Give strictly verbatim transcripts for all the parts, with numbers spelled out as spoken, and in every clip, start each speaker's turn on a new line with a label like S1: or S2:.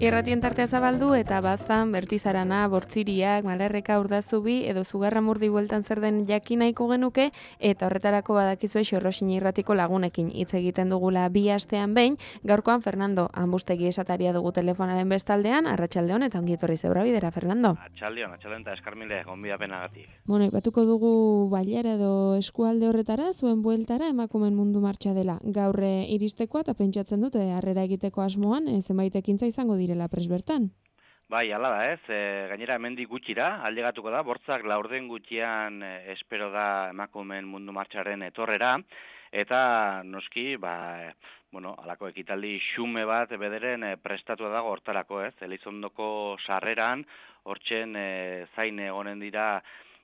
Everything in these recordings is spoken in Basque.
S1: Irratien tartea zabaldu eta baztan Bertizarana, Bortziriak, Malerreka, Urdazubi edo Zugarramurdi bueltan zer den jakin nahiko genuke eta horretarako badakizue Xorroxin irratiko lagunekin hitz egiten dugula bi astean behin. Gaurkoan Fernando Anbustegi esataria dugu telefonaren bestaldean. Arratsaldeon eta ongi etorri zeura bidera, Fernando.
S2: Arratsaldeon, arratsaldeon eta eskarmile gonbidapenagatik.
S1: Bueno, ipatuko dugu bailara edo eskualde horretara, zuen bueltara emakumeen mundu martxa dela. Gaur iristekoa eta pentsatzen dute harrera egiteko asmoan, e, zenbait ekintza izango direla pres bertan.
S2: Bai, hala da ez, e, gainera hemendik gutxira, aldegatuko da, bortzak laurden gutxian e, espero da emakumeen mundu martxaren etorrera, eta noski, ba, e, bueno, alako ekitaldi xume bat bederen e, prestatua dago hortarako ez, Elizondoko sarreran, hortzen e, zain egonen dira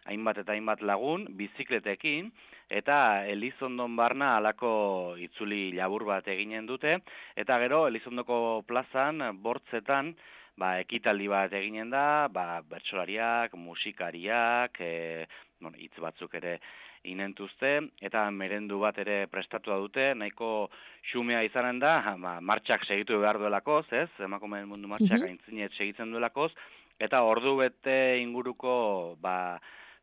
S2: hainbat eta hainbat lagun, bizikletekin, eta Elizondon barna alako itzuli labur bat eginen dute, eta gero Elizondoko plazan, bortzetan, ba, ekitaldi bat eginen da, ba, bertsolariak, musikariak, e, bueno, hitz batzuk ere inentuzte, eta merendu bat ere prestatua dute, nahiko xumea izanen da, ba, martxak segitu behar duelakoz, ez, emakumeen mundu martxak aintzinet segitzen duelakoz, eta ordu bete inguruko, ba,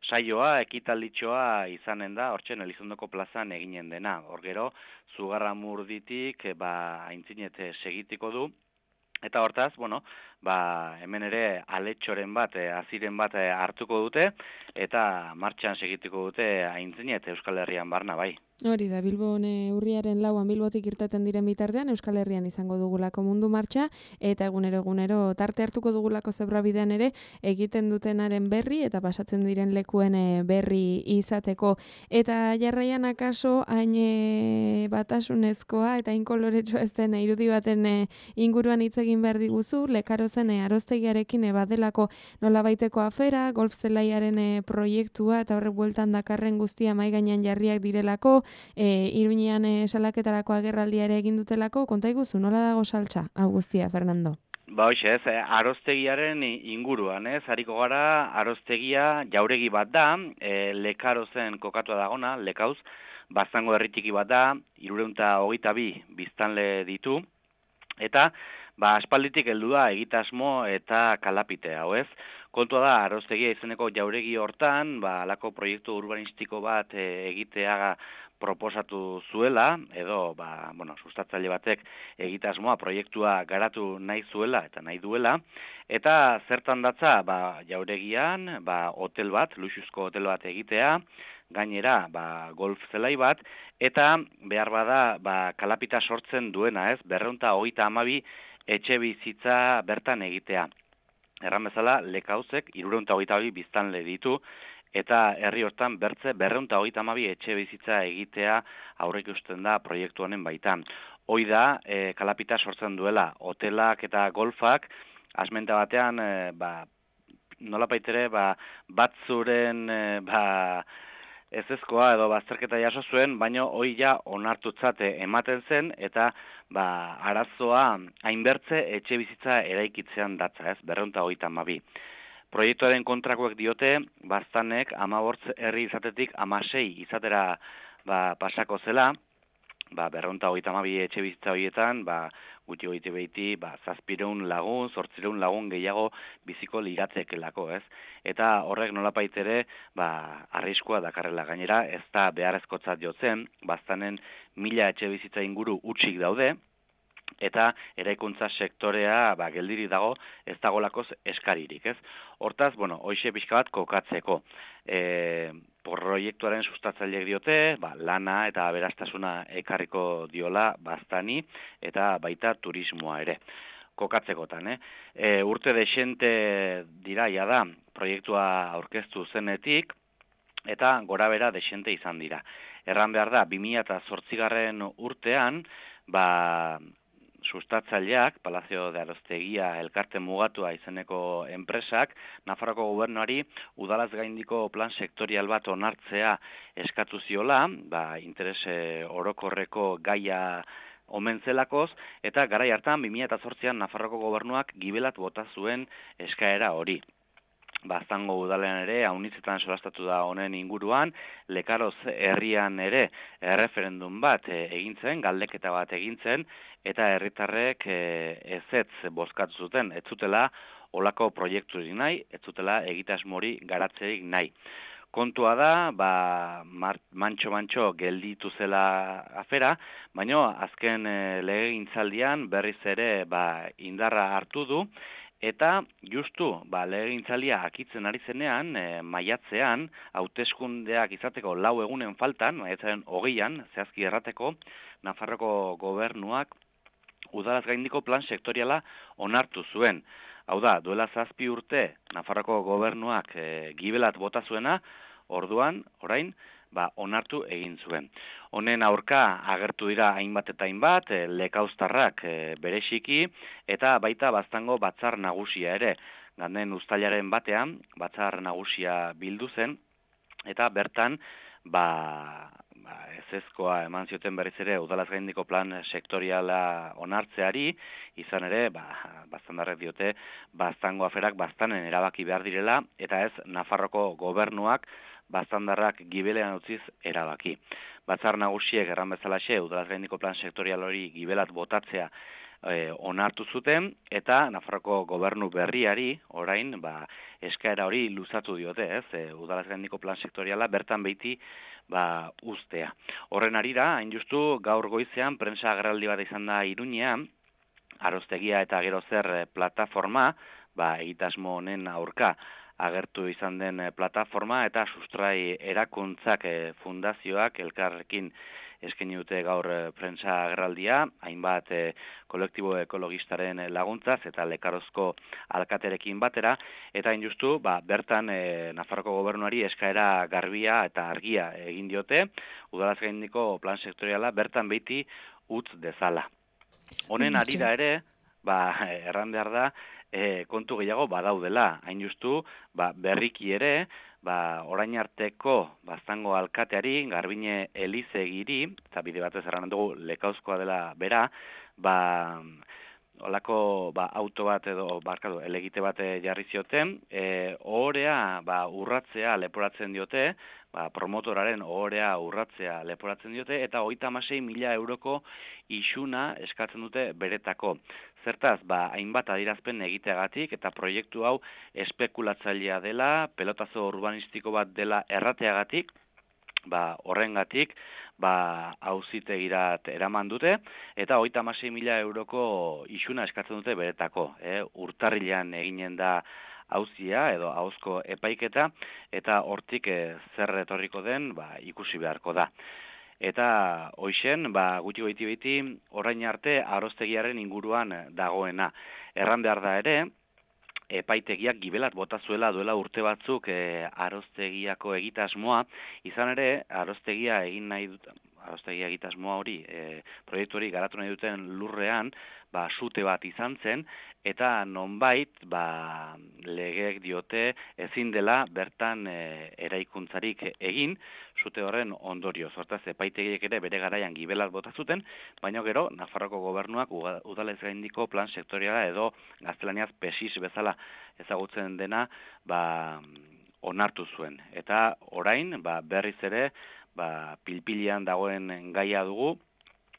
S2: saioa, ekitalditxoa izanen da, hortzen Elizondoko plazan eginen dena. Hor gero, Zugarramurditik ba, aintzinet segitiko du, eta hortaz, bueno, ba, hemen ere aletxoren bat, aziren bat hartuko dute, eta martxan segitiko dute aintzinet Euskal Herrian barna bai.
S1: Hori da, Bilbon urriaren lauan Bilbotik irteten diren bitartean, Euskal Herrian izango dugulako mundu martxa, eta egunero egunero tarte hartuko dugulako zebrabidean ere, egiten dutenaren berri, eta pasatzen diren lekuen berri izateko. Eta jarraian akaso, hain batasunezkoa, eta hain koloretsua ez den irudi baten inguruan hitz egin behar diguzu, lekarozen aroztegiarekin badelako nolabaiteko afera, golf zelaiaren proiektua, eta horrek bueltan dakarren guztia mai gainean jarriak direlako, E, Iruñean e, salaketarako agerraldia ere egin dutelako, konta iguzu, nola dago saltza, hau guztia, Fernando?
S2: Ba, hoxe, ez, aroztegiaren inguruan, ez, hariko gara, aroztegia jauregi bat da, e, lekarozen kokatua dagona, lekauz, baztango herritiki bat da, irureunta hogeita bi biztanle ditu, eta, ba, aspalditik heldu da egitasmo eta kalapite, hau ez, kontua da, aroztegia izeneko jauregi hortan, ba, alako proiektu urbanistiko bat e, egitea proposatu zuela, edo, ba, bueno, sustatzaile batek egitasmoa, proiektua garatu nahi zuela eta nahi duela, eta zertan datza, ba, jauregian, ba, hotel bat, luxuzko hotel bat egitea, gainera, ba, golf zelai bat, eta behar bada, ba, kalapita sortzen duena, ez, berreunta hogeita hamabi etxe bizitza bertan egitea. Erran bezala, lekauzek, irureunta hogeita hamabi biztanle ditu, eta herri hortan bertze berreunta hogeita hamabi etxe bizitza egitea aurreik usten da proiektu honen baitan. Hoi da, e, kalapita sortzen duela, hotelak eta golfak, asmenta batean, e, ba, nolapaitere, ba, batzuren, e, ba, ezezkoa edo bazterketa jaso zuen, baino hoi ja onartutzate ematen zen, eta ba, arazoa hainbertze etxe bizitza eraikitzean datza, ez, berreunta hogeita hamabi. Proiektuaren kontrakoek diote, baztanek hamabortz herri izatetik hamasei izatera ba, pasako zela, ba, berreunta hogeita hamabi etxe bizitza horietan, ba, gutxi goiti behiti, ba, zazpireun lagun, zortzireun lagun gehiago biziko liratzekelako, ez? Eta horrek nolapait ere, ba, arriskua dakarrela gainera, ez da beharrezkotzat jotzen, baztanen mila etxe bizitza inguru utxik daude, eta eraikuntza sektorea ba, geldiri dago ez dagolakoz eskaririk, ez? Hortaz, bueno, hoixe pixka bat kokatzeko. E, proiektuaren sustatzaileek diote, ba, lana eta aberastasuna ekarriko diola baztani eta baita turismoa ere. Kokatzekotan, eh? E, urte desente diraia da proiektua aurkeztu zenetik, eta gora bera desente izan dira. Erran behar da, bi mila zortzigarren urtean, ba, sustatzaileak, Palazio de Aroztegia elkarte mugatua izeneko enpresak, Nafarroko gobernuari udalaz gaindiko plan sektorial bat onartzea eskatu ziola, ba, interes orokorreko gaia omen zelakoz, eta garai hartan bi mila zortzian Nafarroko gobernuak gibelat bota zuen eskaera hori. Baztango udalean ere, haunitzetan solastatu da honen inguruan, Lekaroz herrian ere erreferendum bat e, egintzen, galdeketa bat egintzen, eta herritarrek e, ezetz bozkatu zuten, ez zutela olako proiekturik nahi, ez zutela egitasmori garatzerik nahi. Kontua da, ba, mantxo-mantxo gelditu zela afera, baina azken e, legegintzaldian berriz ere ba, indarra hartu du, eta justu, ba, legegintzalia akitzen ari zenean, e, maiatzean, hauteskundeak izateko lau egunen faltan, maiatzaren hogeian, zehazki errateko, Nafarroko gobernuak udalaz gaindiko plan sektoriala onartu zuen. Hau da, duela zazpi urte, Nafarroko gobernuak e, gibelat bota zuena, orduan, orain, ba, onartu egin zuen. Honen aurka agertu dira hainbat eta hainbat, e, lekauztarrak e, bereziki, eta baita Baztango batzar nagusia ere. Ganden uztailaren batean, batzar nagusia bildu zen, eta bertan, ba, ba ezezkoa eman zioten berriz ere udalaz gaindiko plan sektoriala onartzeari, izan ere, ba, Baztandarrek diote, Baztango aferak Baztanen erabaki behar direla, eta ez Nafarroko gobernuak Baztandarrak gibelean utziz erabaki. Batzar nagusiek erran bezalaxe, udalaz gaindiko plan sektorial hori gibelat botatzea e, onartu zuten, eta Nafarroko gobernu berriari, orain, ba, eskaera hori luzatu diote, ez, e, udalaz gaindiko plan sektoriala bertan beiti ba, ustea. Horren arira, hain justu, gaur goizean, prensa agerraldi bat izan da Iruñean, Aroztegia eta Gero Zer plataforma, ba, egitasmo honen aurka agertu izan den plataforma, eta sustrai erakuntzak e, fundazioak elkarrekin eskaini dute gaur e, prensa agerraldia, hainbat e, kolektibo ekologistaren laguntzaz eta Lekarozko alkaterekin batera, eta hain justu, ba, bertan e, Nafarroko gobernuari eskaera garbia eta argia egin diote, udalaz gaindiko plan sektoriala bertan beiti utz dezala. Honen arira ere, ba, erran behar da, E, kontu gehiago badaudela, hain justu, ba, berriki ere, ba, orain arteko Baztango alkateari, Garbine Elizegiri, eta bide batez erran dugu Lekauzkoa dela bera, ba, olako ba, auto bat edo barkatu, elegite bat jarri zioten, e, ohorea ba, urratzea leporatzen diote, ba, promotoraren ohorea urratzea leporatzen diote, eta hogeita hamasei mila euroko isuna eskatzen dute beretako. Zertaz, ba, hainbat adierazpen egiteagatik eta proiektu hau espekulatzailea dela, pelotazo urbanistiko bat dela errateagatik, ba, horrengatik, ba, auzitegirat eraman dute, eta hogeita hamasei mila euroko isuna eskatzen dute beretako. Eh? Urtarrilean eginen da auzia edo ahozko epaiketa, eta hortik eh, zer etorriko den ba, ikusi beharko da. Eta hoixen, ba, gutxi goiti beti, orain arte Aroztegiaren inguruan dagoena. Erran behar da ere, epaitegiak gibelat bota zuela duela urte batzuk e, Aroztegiako egitasmoa, izan ere, Aroztegia egin nahi dut, Aroztegia egitasmoa hori, e, proiektu hori garatu nahi duten lurrean, ba, sute bat izan zen, eta nonbait, ba, legeek diote ezin dela bertan e, eraikuntzarik egin, sute horren ondorio. Hortaz, epaitegiek ere bere garaian gibelat bota zuten, baina gero, Nafarroko gobernuak udalez gaindiko plan sektoriala edo gaztelaniaz pesis bezala ezagutzen dena ba, onartu zuen. Eta orain, ba, berriz ere, ba, pilpilian dagoen gaia dugu,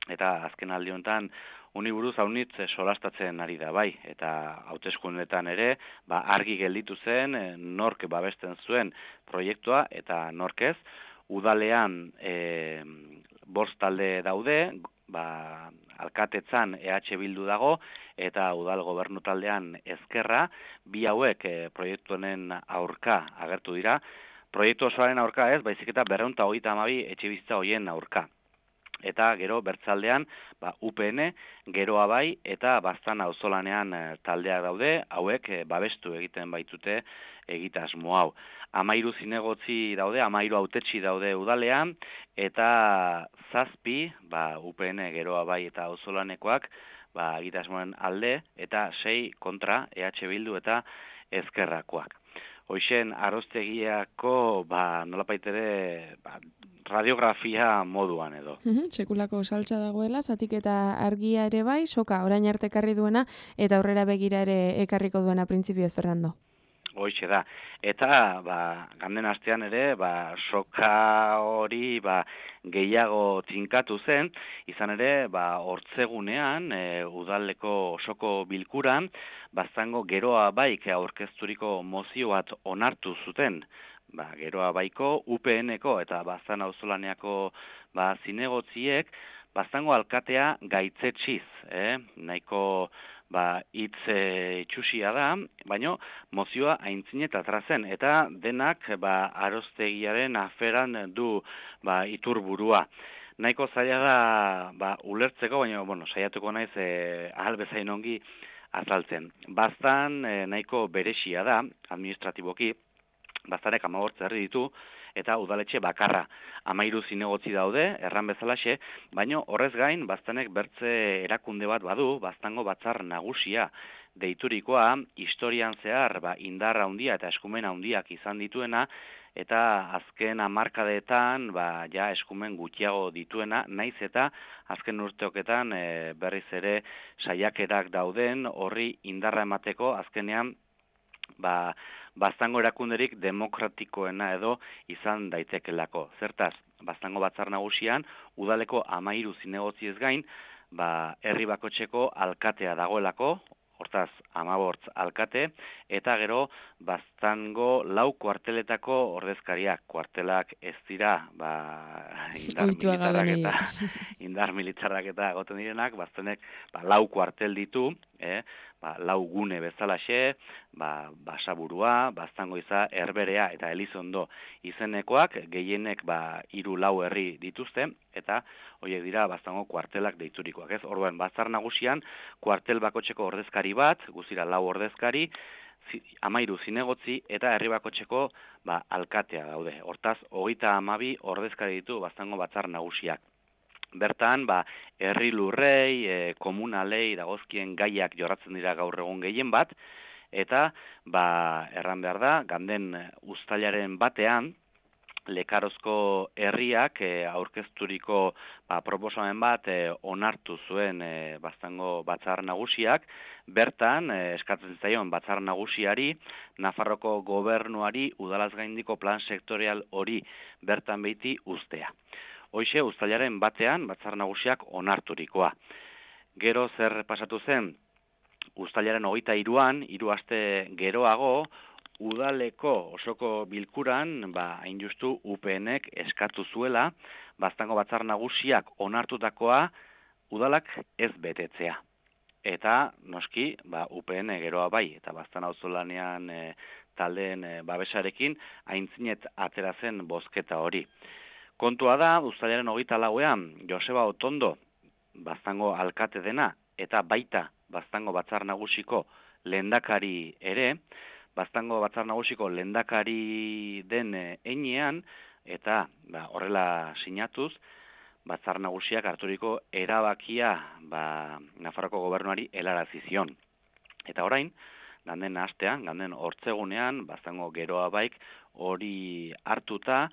S2: eta azken aldi honetan honi buruz haunitz solastatzen ari da bai, eta hauteskundetan ere, ba, argi gelditu zen, nork babesten zuen proiektua, eta nork ez, udalean e, bost talde daude, ba, alkatetzan E H Bildu dago, eta udal gobernu taldean Ezkerra, bi hauek e, proiektu honen aurka agertu dira. Proiektu osoaren aurka ez, baizik eta berrehun eta hogeita hamabi etxebizitza hoien aurka. Eta gero bertzaldean ba, U P N, Geroa bai, eta Baztan auzolanean e, taldeak daude, hauek e, babestu egiten baitute egitasmo hau. Amairu zinegotzi daude, amairu hautetsi daude udalean, eta zazpi, ba, U P N, Geroa bai eta auzolanekoak, ba, egitasmoen alde, eta sei kontra E H Bildu eta Ezkerrakoak. Hoixen, Aroztegiako, ba, nolapait ere, ba, radiografia moduan edo.
S1: Sekulako saltza dagoela, zatik eta argia ere bai, soka orain arte ekarri duena, eta aurrera begira ere ekarriko duena printzipio Fernando.
S2: Hoixe da. Eta, ba, ganden astean ere, ba, soka hori, ba, gehiago tinkatu zen, izan ere, ba, hortzegunean, e, udaleko osoko bilkuran, baztango geroa baik aurkezturiko mozio bat onartu zuten, ba, geroa baiko, U P N-eko eta baztan auzolaneako, ba, zinegotziek, baztango alkatea gaitzetxiz, eh? Nahiko, ba, hitz e, itxusia da, baino mozioa aintzinet atera zen, eta denak ba, aroztegiaren aferan du ba, iturburua. Nahiko zaila da ba, ulertzeko, baina bueno, saiatuko naiz e, ahal bezain ongi azaltzen. Baztan e, nahiko beresia da, administratiboki, baztarek hamabost herri ditu, eta udaletxe bakarra. Hamairu zinegotzi daude, erran bezalaxe, baino horrez gain, baztanek bertze erakunde bat badu, baztango batzar nagusia deiturikoa, historian zehar ba, indarra handia eta eskumen handiak izan dituena, eta azken hamarkadetan ba, ja eskumen gutxiago dituena, naiz eta azken urteoketan e, berriz ere saiakerak dauden horri indarra emateko azkenean ba, baztango erakunderik demokratikoena edo izan daitekelako. Zertaz, baztango batzar nagusian, udaleko hamairu zinegotzi ez gain, ba, herri bakotxeko alkatea dagoelako, hortaz, hamabortz alkate, eta gero, baztango lau kuarteletako ordezkariak. Kuartelak ez dira, ba, indar militarrak eta, indar militarrak eta goten direnak, baztanek ba, lau kuartel ditu, eh? Ba, lau gune bezalaxe, ba, basaburua, baztango iza, herberea eta elizondo izenekoak, gehienek ba, hiru lau herri dituzte, eta horiek dira baztango kuartelak deiturikoak. Ez? Orduan, batzar nagusian, kuartel bakotxeko ordezkari bat, guztira lau ordezkari, hamairu zinegotzi eta herri bakotxeko ba, alkatea daude. Hortaz, hogeita hamabi ordezkari ditu baztango batzar nagusiak. Bertan, ba, herri lurrei, e, komunalei, dagozkien gaiak jorratzen dira gaur egun gehien bat, eta, ba, erran behar da, ganden uztailaren batean, Lekarozko herriak e, aurkezturiko ba, proposamen bat e, onartu zuen e, baztango batzar nagusiak, bertan, e, eskatzen zaion batzar nagusiari, Nafarroko gobernuari udalaz gaindiko plan sektorial hori bertan behiti uztea. Hoixe, uztailaren batean, batzar nagusiak onarturikoa. Gero zer pasatu zen, uztailaren hogeita hiruan, hiru aste geroago, udaleko osoko bilkuran, ba, hain justu U P N-ek eskatu zuela, baztango batzar nagusiak onartutakoa, udalak ez betetzea. Eta, noski, ba, U P N geroa bai, eta baztan auzolanean e, taldeen e, babesarekin, aintzinet atera zen bozketa hori. Kontua da, uztailaren hogeita lauean, Joseba Otondo, baztango alkate dena, eta baita baztango batzar nagusiko lehendakari ere, baztango batzar nagusiko lehendakari den heinean, eta ba, horrela sinatuz, batzar nagusiak harturiko erabakia ba, Nafarroko gobernuari helarazi zion. Eta orain, ganden astean, ganden hortzegunean, baztango geroa baik hori hartuta,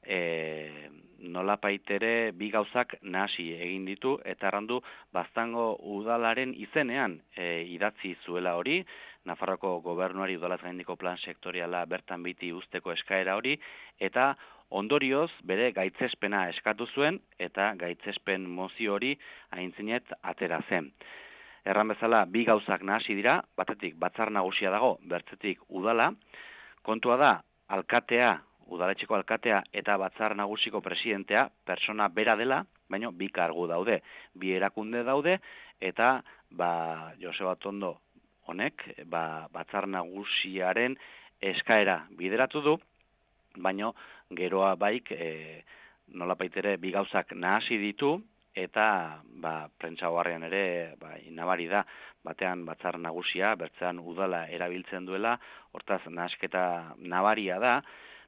S2: E, nolapaitere bi gauzak nahasi egin ditu eta errandu baztango udalaren izenean e, idatzi zuela hori, Nafarroko gobernuari udalaz gaindiko plan sektoriala bertan biti usteko eskaera hori, eta ondorioz bere gaitzespena eskatu zuen eta gaitzespen mozio hori aintzinet atera zen. Erran bezala bi gauzak nahasi dira, batetik batzar nagusia dago, bertzetik udala, kontua da alkatea, udaletxeko alkatea eta batzar nagusiko presidentea persona bera dela, baina bi kargu daude, bi erakunde daude, eta ba, Joseba Otondo honek ba, batzar nagusiaren eskaera bideratu du, baina geroa baik e, nolapaitere bi gauzak nahasi ditu, eta ba, prentsa oharrean ere ba, inabari da, batean batzar nagusia, bertzean udala erabiltzen duela, hortaz nahasketa nabaria da,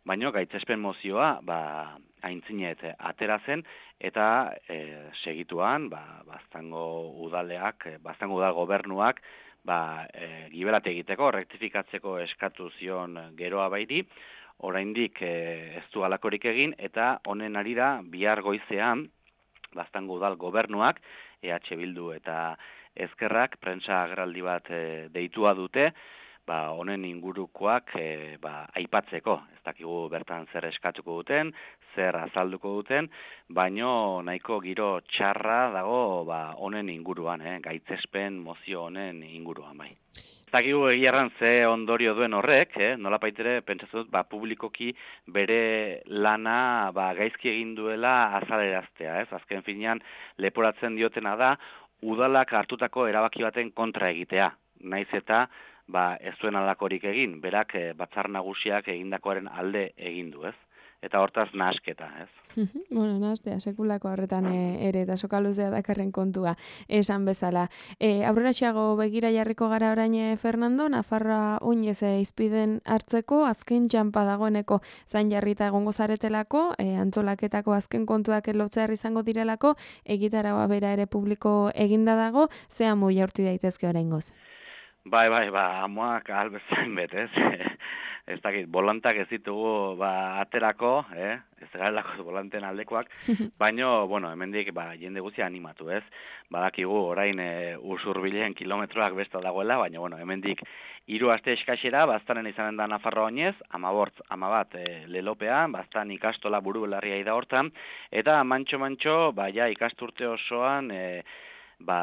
S2: baina gaitzespen mozioa ba, aintzinet atera zen, eta e, segituan ba, baztango udaleak, baztango udal gobernuak ba, e, gibelate egiteko, rektifikatzeko eskatu zion geroa bairi, oraindik e, ez du halakorik egin, eta honen arira bihar goizean baztango udal gobernuak, E H Bildu eta Ezkerrak, prentsa agerraldi bat e, deitua dute, ba, honen ingurukoak e, ba, aipatzeko. Ez dakigu bertan zer eskatuko duten, zer azalduko duten, baino nahiko giro txarra dago ba, honen inguruan, eh? Gaitzespen mozio honen inguruan bai. Ez dakigu egierran ze ondorio duen horrek, eh? Nola paitere, pentsatzen dut, ba, publikoki bere lana ba, gaizki egin duela azaleraztea, ez? Azken finean leporatzen diotena da, udalak hartutako erabaki baten kontra egitea. Naiz eta ba, ez duen alakorik egin, berak e, batzar nagusiak egindakoaren alde egin du, ez? Eta hortaz nahasketa, ez?
S1: Bueno, nahastea, sekulako horretan e, ere, eta soka luzea dakarren kontua, esan bezala. E, aurreraxeago begira jarriko gara orain Fernando, Nafarroa oinez e, izpiden hartzeko, azken txampa dagoeneko zain jarrita egongo zaretelako, e, antolaketako azken kontuak elotzear izango direlako, egitaragoa bera ere publiko eginda dago, zea mu jaurti daitezke oraingoz.
S2: Bai, bai, ba, amoak albezain bet, ez? Ez dakit, bolantak ez ditugu ba, aterako, eh? Ez garelako volanten aldekoak, baino, bueno, hemendik ba, jende guztia animatu, ez? Badakigu orain e, usurbilen kilometroak besta dagoela, baina, bueno, hemendik hiru aste eskaxera, baztanen izanen da Nafarroa oinez, amabortz, amabat e, lelopean, baztan ikastola buru belarria da hortan, eta mantxo-mantxo, ba, ja, ikasturte osoan, e, ba,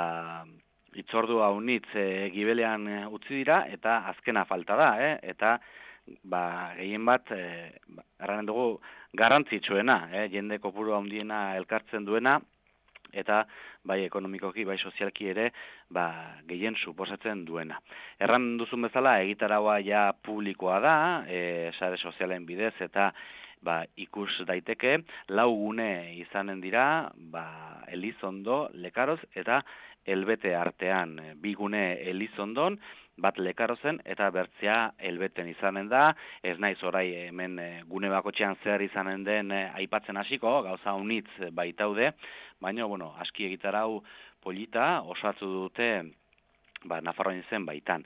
S2: itzordu haunitz e, gibelean e, utzi dira, eta azkena falta da, eh? Eta ba, gehien bat, e, erranen dugu, garrantzitsuena, eh? Jende kopuru handiena elkartzen duena, eta bai ekonomikoki, bai sozialki ere, ba, gehien suposatzen duena. Erran duzun bezala, egitaraua ja publikoa da, e, sare sozialen bidez, eta ba, ikus daiteke, lau gune izanen dira, ba, Elizondo, Lekaroz, eta Elbete artean, bi gune Elizondon, bat Lekarozen eta bertzea Elbeten izanen da, ez naiz orai hemen gune bakotxean zer izanen den aipatzen hasiko, gauza unitz baitaude, baina, bueno, aski egitarau polita osatu dute ba, Nafarroan zen baitan.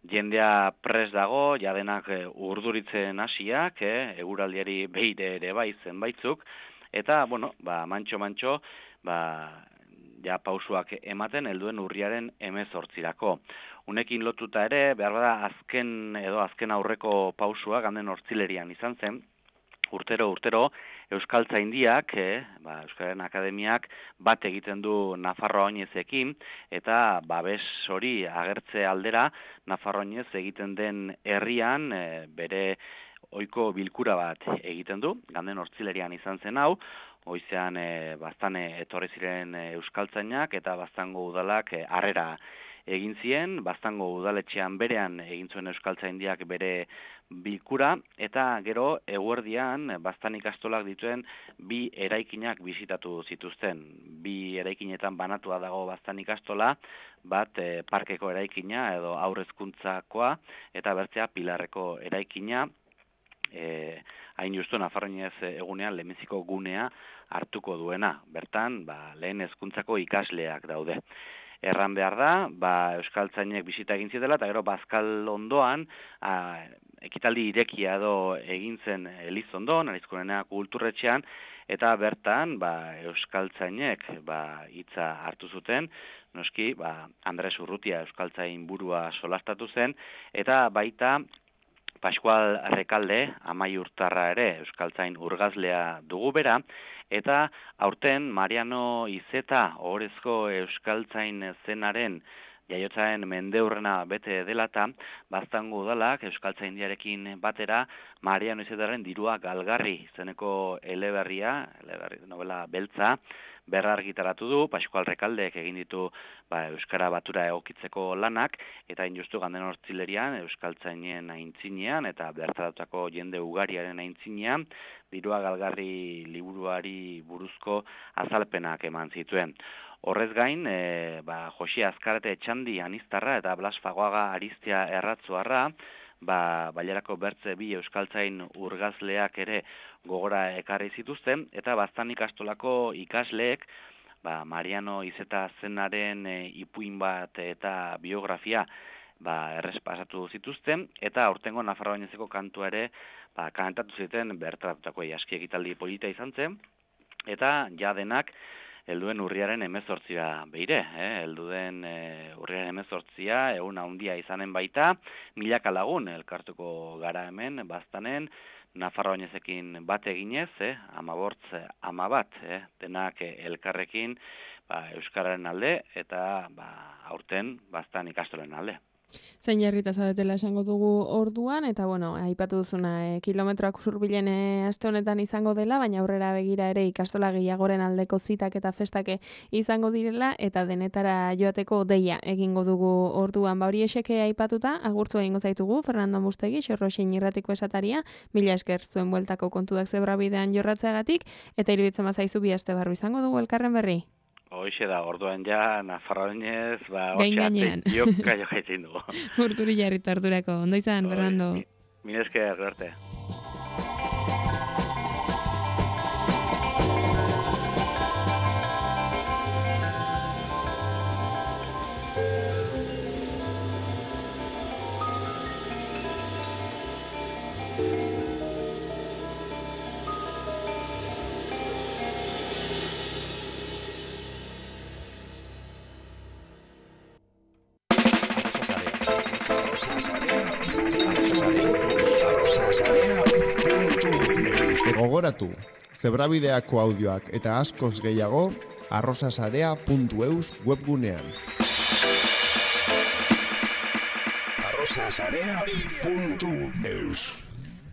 S2: Jendea pres dago, jadenak urduritzen hasiak, eh, eguraldiari beire ere bai zenbaitzuk, eta, bueno, ba, mantxo-mantxo, ba, ja pausuak ematen helduen urriaren hemezortzirako. Unekin lotuta ere, behar bada azken edo azken aurreko pausua ganden hortzilerian izan zen, urtero, urtero, Euskaltzaindiak, eh, ba, Euskaren Akademiak bat egiten du Nafarroa oinezekin, eta babes hori agertze aldera, Nafarroa oinez egiten den herrian, eh, bere ohiko bilkura bat egiten du, ganden hortzilerian izan zen hau, goizean e, baztane etorri ziren e, euskaltzainak eta baztango udalak e, harrera egin zien, baztango udaletxean berean egin zuen euskaltzaindiak bere bilkura, eta gero eguerdian baztan ikastolak dituen bi eraikinak bisitatu zituzten. Bi eraikinetan banatua dago baztan ikastola, bat e, parkeko eraikina edo aurrezkuntzakoa, eta bertzea pilarreko eraikina, E, hain justu Nafarroinez egunean lehenbiziko gunea hartuko duena. Bertan, ba, lehen hezkuntzako ikasleak daude. Erran behar da, ba, euskaltzainek bisita egin zitela, eta gero bazkal ondoan, a, ekitaldi irekia edo egin zen Elizondon, Arizkunena kulturretxean, eta bertan, ba, euskaltzainek ba, hitza hartu zuten, noski, ba, Andres Urrutia euskaltzain burua solastatu zen, eta baita, Pascual Rekalde, amaiurtarra ere, euskaltzain urgazlea dugu bera, eta aurten Mariano Izeta, ohorezko euskaltzain zenaren jaiotzaren mendeurrena bete delata, baztango udalak euskaltzaindiarekin batera Mariano Izetaren dirua galgarri zeneko eleberria, eleberri novela beltza, berrargitaratu du, Pascual Rekaldeek egin ditu ba, Euskara batura egokitzeko lanak, eta injustu ganden hortzilerian, Euskaltzainen aintzinean, eta bertaratutako jende ugariaren aintzinean, dirua galgarri liburuari buruzko azalpenak eman zituen. Horrez gain, e, ba, Josi Azkarate Etxandi Aniztarra eta Blas Fagoaga Ariztia Erratzuarra, ba, bailarako bertze bi euskaltzain urgazleak ere gogora ekarri zituzten, eta baztan ikastolako ikasleek, ba, Mariano Izeta zenaren e, ipuin bat eta biografia ba, errespasatu zituzten, eta aurtengo Nafarroa oinezeko kantua ere ba, kantatu ziten bertaratutako aski ekitaldi polita izan zen, eta ja denak helduen urriaren hemezortzia beire, eh? helduen e, urriaren hemezortzia, egun handia izanen baita, milaka lagun elkartuko gara hemen, baztanen, Nafarroainezekin bat eginez, eh? amabortz, ama bat, eh? denak elkarrekin ba, Euskararen alde, eta ba, aurten baztan ikastolen alde.
S1: Zein jarrita zaudetela esango dugu orduan, eta bueno, aipatu duzuna, e, kilometroak usurbilen e, aste honetan izango dela, baina aurrera begira ere ikastola gehiagoren aldeko zitak eta festake izango direla, eta denetara joateko deia egingo dugu orduan. Ba hori eseke aipatuta, agurtu egingo zaitugu, Fernando Mustegi, Xorroxin irratiko esataria, mila esker zuen bueltako kontuak zebrabidean jorratzeagatik, eta iruditzen bazaizu bi aste barru izango dugu elkarren berri.
S2: Hoixe da, orduan ja, Nafarroainez, ba,
S1: gain gainean.
S2: Joka jo jaitzin dugu.
S1: Urturi jarrita harturako. Ondo izan, Fernando.
S2: Mila esker, arte.
S3: Gogoratu, zebrabideako audioak eta askoz gehiago arrosasarea puntu eus webgunean.
S4: arrosasarea puntu eus